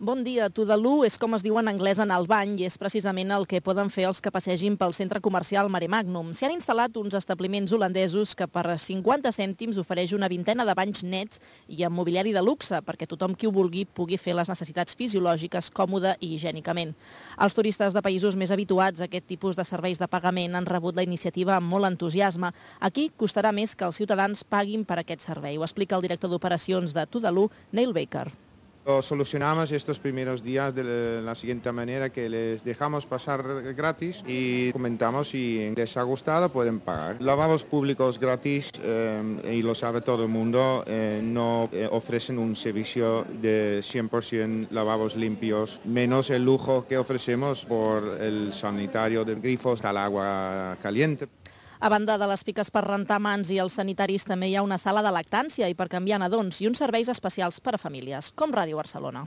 Bon dia. Tudelu és com es diu en anglès en el bany i és precisament el que poden fer els que passegin pel centre comercial Mare Magnum. S'hi han instal·lat uns establiments holandesos que per 50 cèntims ofereix una vintena de banys nets i amb mobiliari de luxe perquè tothom qui ho vulgui pugui fer les necessitats fisiològiques còmode i higiènicament. Els turistes de països més habituats a aquest tipus de serveis de pagament han rebut la iniciativa amb molt entusiasme. Aquí costarà més que els ciutadans paguin per aquest servei. Ho explica el director d'operacions de Tudelu, Neil Baker. Lo solucionamos estos primeros días de la siguiente manera, que les dejamos pasar gratis y comentamos si les ha gustado pueden pagar. Lavabos públicos gratis, y lo sabe todo el mundo, no ofrecen un servicio de 100% lavabos limpios, menos el lujo que ofrecemos por el sanitario de grifos al agua caliente. A banda de les piques per rentar mans i els sanitaris, també hi ha una sala de lactància i per canviar nadons i uns serveis especials per a famílies, com Ràdio Barcelona.